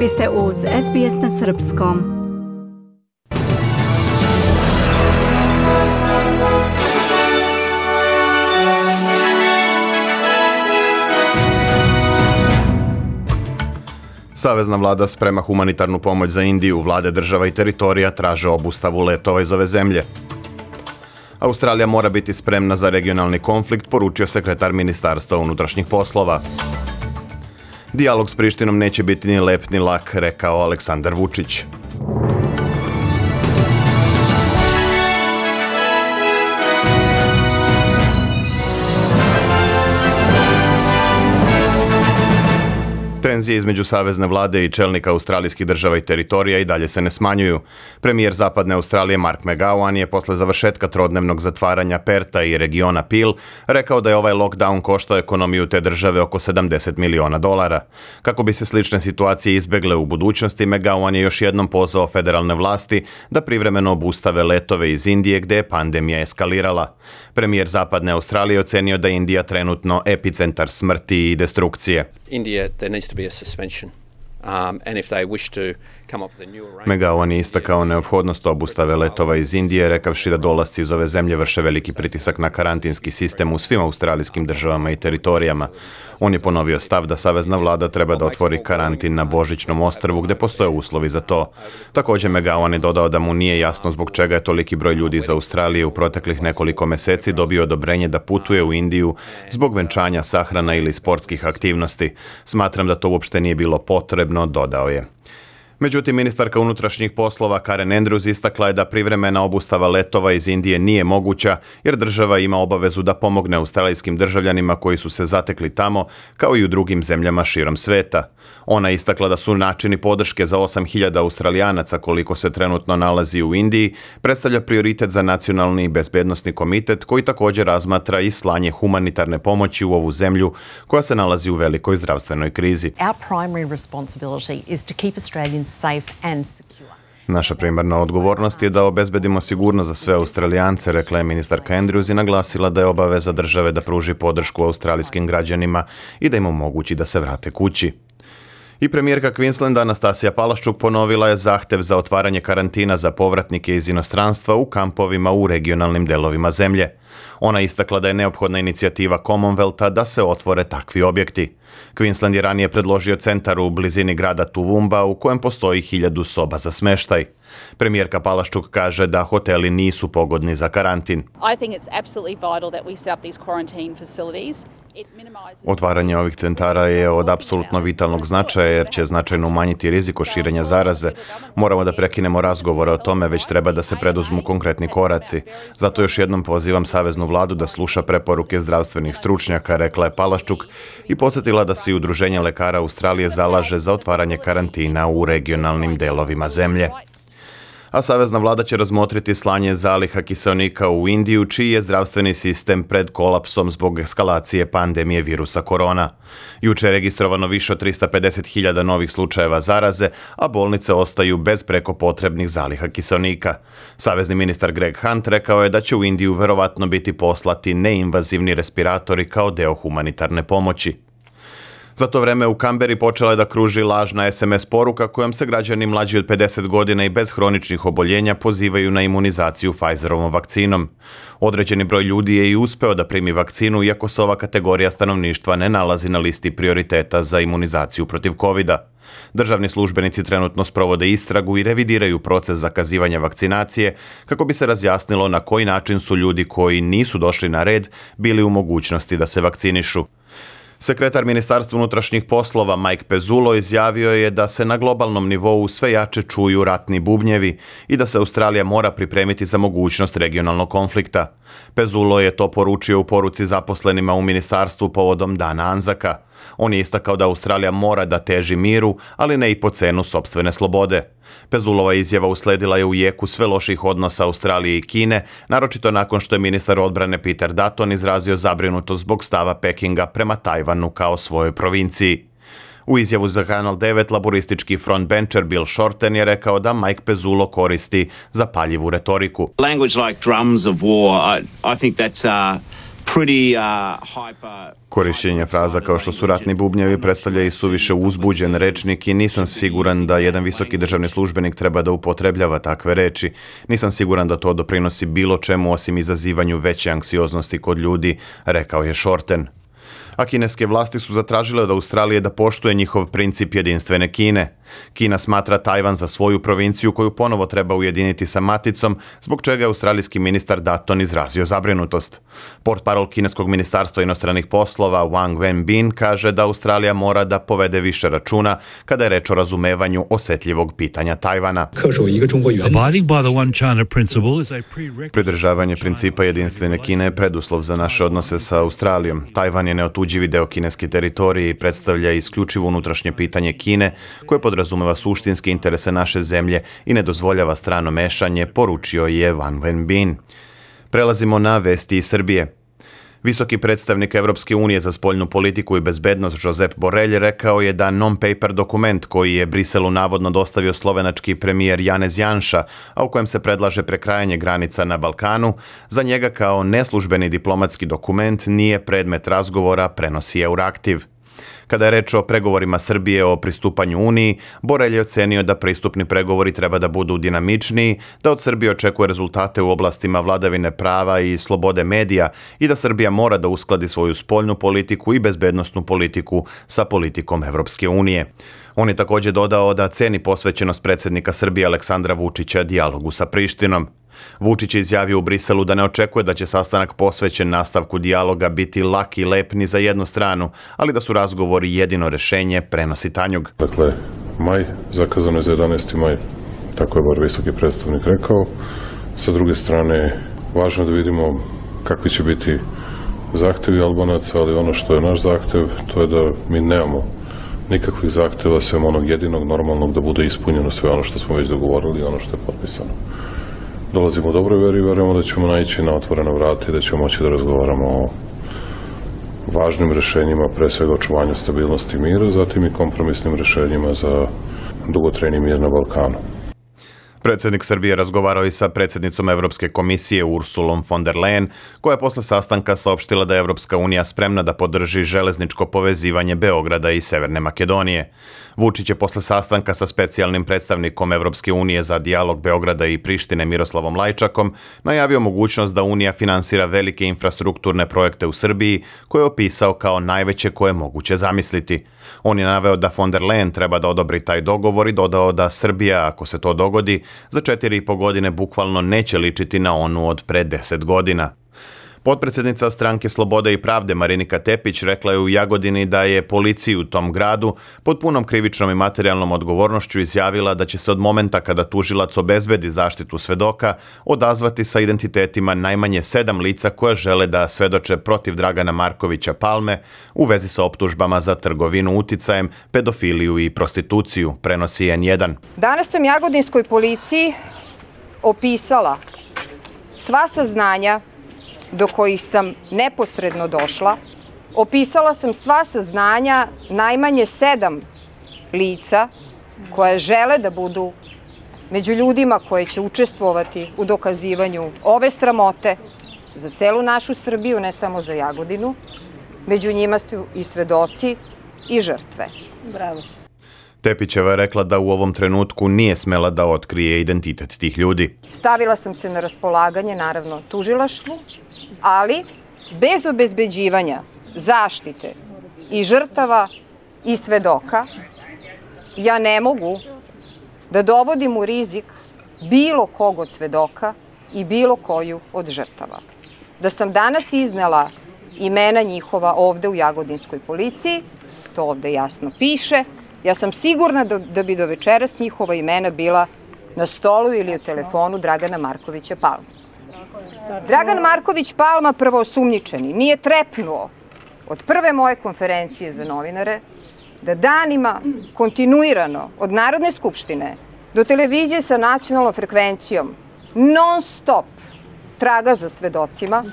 Vi ste uz SBS na srpskom. Savezna vlada sprema humanitarnu pomoć za Indiju. Vlade država i teritorija traže obustavu letova iz ove zemlje. Australija mora biti spremna za regionalni konflikt, poručio sekretar Ministarstva unutrašnjih poslova. Dijalog s Prištinom neće biti ni lep ni lak, rekao Aleksandar Vučić. Tenzije između savezne vlade i čelnika australijskih država i teritorija i dalje se ne smanjuju. Premijer zapadne Australije Mark McGowan je posle završetka trodnevnog zatvaranja Perta i regiona Peel rekao da je ovaj lockdown koštao ekonomiju te države oko $70 miliona. Kako bi se slične situacije izbegle u budućnosti, McGowan je još jednom pozvao federalne vlasti da privremeno obustave letove iz Indije gde je pandemija eskalirala. Premijer zapadne Australije ocenio da je Indija trenutno epicentar smrti i destrukcije. India, there needs to be a suspension. And if they wish to come up with a new arrangement... McGowan je istakao neophodnost obustave letova iz Indije, rekavši da dolasci iz ove zemlje vrše veliki pritisak na karantinski sistem u svim australijskim državama i teritorijama. On je ponovio stav da savezna vlada treba da otvori karantin na Božićnom ostrvu gde postoje uslovi za to. Također McGowan je dodao da mu nije jasno zbog čega je toliki broj ljudi iz Australije u proteklih nekoliko meseci dobio odobrenje da putuje u Indiju zbog venčanja, sahrana ili sportskih aktivnosti. Smatram da to uopšte nije bilo potrebno, dodao je. Međutim, ministarka unutrašnjih poslova Karen Andrews istakla je da privremena obustava letova iz Indije nije moguća jer država ima obavezu da pomogne australijskim državljanima koji su se zatekli tamo, kao i u drugim zemljama širom sveta. Ona je istakla da su načini podrške za 8.000 Australijanaca koliko se trenutno nalazi u Indiji predstavlja prioritet za Nacionalni bezbednosni komitet koji također razmatra i slanje humanitarne pomoći u ovu zemlju koja se nalazi u velikoj zdravstvenoj krizi. Naša primarna odgovornost je da obezbedimo sigurnost za sve Australijance, rekla je ministarka Andrews i naglasila da je obaveza države da pruži podršku australijskim građanima i da im omogući da se vrate kući. I premijerka Queenslanda Anastasija Palaszczuk ponovila je zahtev za otvaranje karantina za povratnike iz inostranstva u kampovima u regionalnim delovima zemlje. Ona istakla da je neophodna inicijativa Commonwealtha da se otvore takvi objekti. Queensland je ranije predložio centar u blizini grada Toowoomba u kojem postoji 1000 soba za smeštaj. Premijerka Palaszczuk kaže da hoteli nisu pogodni za karantin. I think it's absolutely vital that we set up these quarantine facilities. Otvaranje ovih centara je od apsolutno vitalnog značaja jer će značajno umanjiti rizik od širenja zaraze. Moramo da prekinemo razgovore o tome, već treba da se preduzmu konkretni koraci. Zato još jednom pozivam saveznu vladu da sluša preporuke zdravstvenih stručnjaka, rekla je Palaszczuk i podsjetila da se i Udruženje lekara Australije zalaže za otvaranje karantina u regionalnim delovima zemlje. A savezna vlada će razmotriti slanje zaliha kiseonika u Indiju, čiji je zdravstveni sistem pred kolapsom zbog eskalacije pandemije virusa korona. Juče je registrovano više od 350.000 novih slučajeva zaraze, a bolnice ostaju bez preko potrebnih zaliha kiseonika. Savezni ministar Greg Hunt rekao je da će u Indiju verovatno biti poslati neinvazivni respiratori kao deo humanitarne pomoći. Za to vreme u Kamberi počela je da kruži lažna SMS poruka kojom se građani mlađi od 50 godina i bez hroničnih oboljenja pozivaju na imunizaciju Pfizerovom vakcinom. Određeni broj ljudi je i uspeo da primi vakcinu, iako se ova kategorija stanovništva ne nalazi na listi prioriteta za imunizaciju protiv COVID-a. Državni službenici trenutno sprovode istragu i revidiraju proces zakazivanja vakcinacije kako bi se razjasnilo na koji način su ljudi koji nisu došli na red bili u mogućnosti da se vakcinišu. Sekretar Ministarstva unutrašnjih poslova Mike Pezzullo izjavio je da se na globalnom nivou sve jače čuju ratni bubnjevi i da se Australija mora pripremiti za mogućnost regionalnog konflikta. Pezzullo je to poručio u poruci zaposlenima u ministarstvu povodom Dana Anzaka. On je istakao da Australija mora da teži miru, ali ne i po cenu sopstvene slobode. Pezulova izjava usledila je u jeku sve loših odnosa Australije i Kine, naročito nakon što je ministar odbrane Peter Dutton izrazio zabrinutost zbog stava Pekinga prema Tajvanu kao svojoj provinciji. U izjavu za Kanal 9 laboristički frontbencher Bill Shorten je rekao da Mike Pezzullo koristi zapaljivu retoriku. Language like drums of war, I think that's Korišćenje fraza kao što su ratni bubnjevi predstavlja i suviše uzbuđen rečnik i nisam siguran da jedan visoki državni službenik treba da upotrebljava takve reči. Nisam siguran da to doprinosi bilo čemu osim izazivanju veće anksioznosti kod ljudi, rekao je Shorten. A kineske vlasti su zatražile od Australije da poštuje njihov princip jedinstvene Kine. Kina smatra Tajvan za svoju provinciju koju ponovo treba ujediniti sa maticom, zbog čega je australijski ministar Dutton izrazio zabrinutost. Portparol kineskog ministarstva inostranih poslova Wang Wenbin kaže da Australija mora da povede više računa kada je reč o razumevanju osetljivog pitanja Tajvana. Pridržavanje principa jedinstvene Kine je preduslov za naše odnose sa Australijom. Tajvan je neotuđivi deo kineske teritorije i predstavlja isključivo unutrašnje pitanje Kine, koje podrazumeva suštinske interese naše zemlje i ne dozvoljava strano mešanje, poručio je Wang Wenbin. Prelazimo na vesti iz Srbije. Visoki predstavnik Evropske unije za spoljnu politiku i bezbednost Josep Borrell rekao je da non-paper dokument koji je Briselu navodno dostavio slovenački premijer Janez Janša, a u kojem se predlaže prekrajanje granica na Balkanu, za njega kao neslužbeni diplomatski dokument nije predmet razgovora, prenosi Euraktiv. Kada je reč o pregovorima Srbije o pristupanju Uniji, Borrell je ocenio da pristupni pregovori treba da budu dinamičniji, da od Srbije očekuje rezultate u oblastima vladavine prava i slobode medija i da Srbija mora da uskladi svoju spoljnu politiku i bezbednosnu politiku sa politikom Evropske unije. On je također dodao da ceni posvećenost predsjednika Srbije Aleksandra Vučića dijalogu sa Prištinom. Vučić je izjavio u Briselu da ne očekuje da će sastanak posvećen nastavku dijaloga biti lak i lep ni za jednu stranu, ali da su razgovori jedino rešenje, prenosi Tanjug. Dakle, maj, zakazano je za 11. maj, tako je bar visoki predstavnik rekao. Sa druge strane, važno je da vidimo kakvi će biti zahtevi Albanaca, ali ono što je naš zahtev, to je da mi nemamo nikakvih zahteva, sem onog jedinog normalnog da bude ispunjeno sve ono što smo već dogovorili i ono što je potpisano. Dolazimo u dobroj veri i verujemo da ćemo naići na otvorena vrata i da ćemo moći da razgovaramo o važnim rešenjima, pre svega očuvanju stabilnosti i mira, zatim i kompromisnim rešenjima za dugotrajni mir na Balkanu. Predsjednik Srbije razgovarao i sa predsjednicom Evropske komisije Ursulom von der Leyen, koja je posle sastanka saopštila da je Evropska unija spremna da podrži železničko povezivanje Beograda i Severne Makedonije. Vučić je posle sastanka sa specijalnim predstavnikom Evropske unije za dijalog Beograda i Prištine Miroslavom Lajčakom najavio mogućnost da Unija finansira velike infrastrukturne projekte u Srbiji, koje je opisao kao najveće koje je moguće zamisliti. On je naveo da von der Leyen treba da odobri taj dogovor i dodao da Srbija, ako se to dogodi, za 4,5 godine bukvalno neće ličiti na onu od pre 10 godina. Potpredsjednica Stranke Slobode i pravde Marinika Tepić rekla je u Jagodini da je policiji u tom gradu pod punom krivičnom i materijalnom odgovornošću izjavila da će se od momenta kada tužilac obezbedi zaštitu svedoka odazvati sa identitetima najmanje 7 lica koja žele da svedoče protiv Dragana Markovića Palme u vezi sa optužbama za trgovinu uticajem, pedofiliju i prostituciju, prenosi N1. Danas sam jagodinskoj policiji opisala sva saznanja do kojih sam neposredno došla. Opisala sam sva saznanja najmanje 7 lica koje žele da budu među ljudima koje će učestvovati u dokazivanju ove sramote za celu našu Srbiju, ne samo za Jagodinu. Među njima su i svedoci i žrtve. Bravo. Tepićeva je rekla da u ovom trenutku nije smela da otkrije identitet tih ljudi. Stavila sam se na raspolaganje, naravno, tužilaštvu, ali bez obezbeđivanja zaštite i žrtava i svedoka ja ne mogu da dovodim u rizik bilo kog od svedoka i bilo koju od žrtava. Da sam danas iznela imena njihova ovde u Jagodinskoj policiji, to ovde jasno piše, ja sam sigurna da bi do večeras njihova imena bila na stolu ili u telefonu Dragana Markovića Palme. Dragan Marković Palma, prvoosumnjičeni, nije trepnuo od prve moje konferencije za novinare da danima kontinuirano od Narodne skupštine do televizije sa nacionalnom frekvencijom non stop traga za svedocima,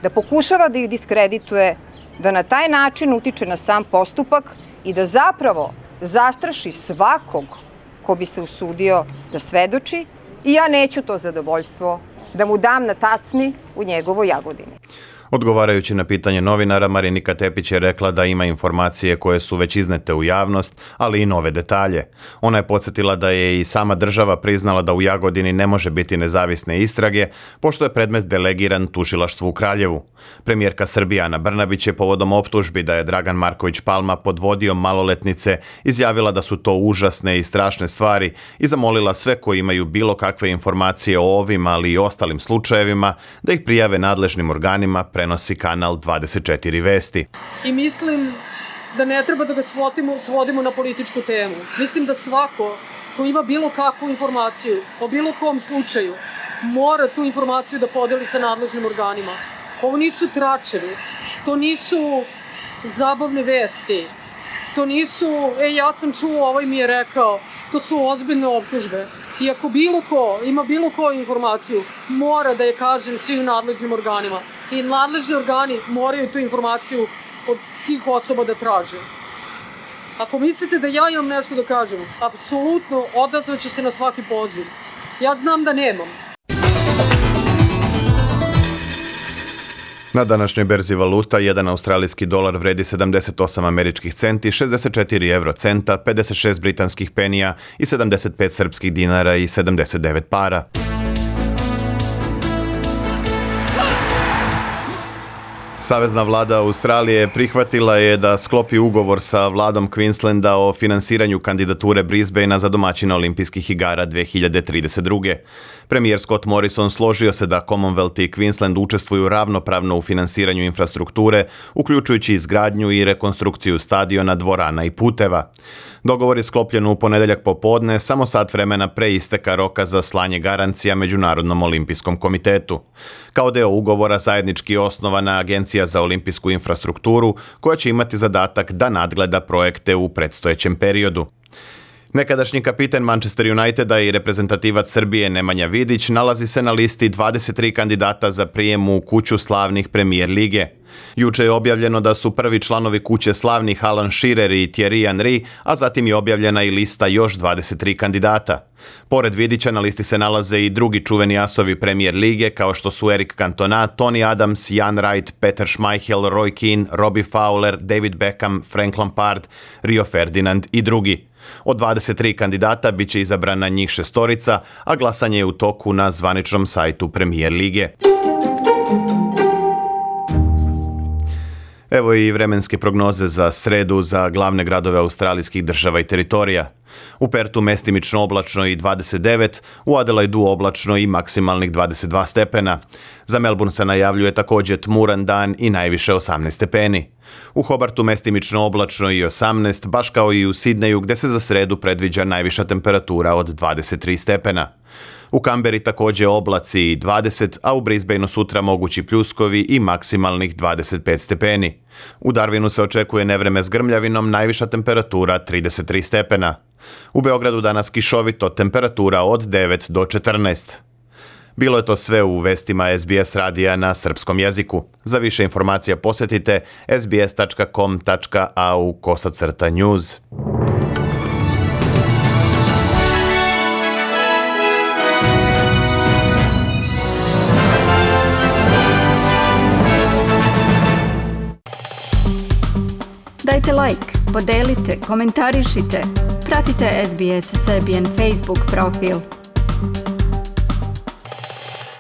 da pokušava da ih diskredituje, da na taj način utiče na sam postupak i da zapravo zastraši svakog ko bi se usudio da svedoči i ja neću to zadovoljstvo da mu dam na tacni u njegovoj Jagodini. Odgovarajući na pitanje novinara, Marinika Tepić je rekla da ima informacije koje su već iznete u javnost, ali i nove detalje. Ona je podsjetila da je i sama država priznala da u Jagodini ne može biti nezavisne istrage, pošto je predmet delegiran tužilaštvu u Kraljevu. Premijerka Srbije Ana Brnabić je povodom optužbi da je Dragan Marković Palma podvodio maloletnice izjavila da su to užasne i strašne stvari i zamolila sve koji imaju bilo kakve informacije o ovim, ali i ostalim slučajevima, da ih prijave nadležnim organima, prenosi kanal 24 Vesti. I mislim da ne treba da ga svodimo na političku temu. Mislim da svako ko ima bilo kakvu informaciju o bilo kom slučaju mora tu informaciju da podeli sa nadležnim organima. Ovo nisu tračevi, to nisu zabavne vesti, to nisu, ja sam čuo, ovaj mi je rekao, to su ozbiljne optužbe. I ako bilo ko ima bilo koju informaciju, mora da je kaže svim nadležnim organima. I nadležni organi moraju tu informaciju od tih osoba da traže. Ako mislite da ja imam nešto da kažem, apsolutno odazvaću se na svaki poziv. Ja znam da nemam. Na današnjoj berzi valuta, jedan australijski dolar vredi 78 američkih centi, 64 eurocenta, 56 britanskih penija i 75 srpskih dinara i 79 para. Savezna vlada Australije prihvatila je da sklopi ugovor sa vladom Queenslanda o finansiranju kandidature Brisbanea za domaćina olimpijskih igara 2032. Premijer Scott Morrison složio se da Commonwealth i Queensland učestvuju ravnopravno u finansiranju infrastrukture, uključujući izgradnju i rekonstrukciju stadiona, dvorana i puteva. Dogovor je sklopljen u ponedeljak popodne, samo sat vremena pre isteka roka za slanje garancija Međunarodnom olimpijskom komitetu. Kao deo ugovora zajednički je osnovana Agencija za olimpijsku infrastrukturu, koja će imati zadatak da nadgleda projekte u predstojećem periodu. Nekadašnji kapiten Manchester Uniteda i reprezentativac Srbije Nemanja Vidić nalazi se na listi 23 kandidata za prijem u kuću slavnih Premier lige. Juče je objavljeno da su prvi članovi kuće slavnih Alan Shearer i Thierry Henry, a zatim je objavljena i lista još 23 kandidata. Pored Vidića na listi se nalaze i drugi čuveni asovi Premier lige kao što su Eric Cantona, Tony Adams, Jan Wright, Peter Schmeichel, Roy Keane, Robbie Fowler, David Beckham, Frank Lampard, Rio Ferdinand i drugi. Od 23 kandidata bit će izabrana njih 6, a glasanje je u toku na zvaničnom sajtu Premier lige. Evo i vremenske prognoze za sredu za glavne gradove australijskih država i teritorija. U Pertu mestimično oblačno i 29, u Adelaidu oblačno i maksimalnih 22 stepena. Za Melbourne se najavljuje također tmuran dan i najviše 18 stepeni. U Hobartu mestimično oblačno i 18, baš kao i u Sidneju gdje se za sredu predviđa najviša temperatura od 23 stepena. U Kamberi također oblaci i 20, a u Brisbaneu sutra mogući pljuskovi i maksimalnih 25 stepeni. U Darwinu se očekuje nevreme s grmljavinom, najviša temperatura 33 stepena. U Beogradu danas kišovito, temperatura od 9 do 14. Bilo je to sve u vestima SBS radija na srpskom jeziku. Za više informacija posjetite sbs.com.au/news. Dajte like, podelite, komentarišite. Pratite SBS Serbian Facebook profil.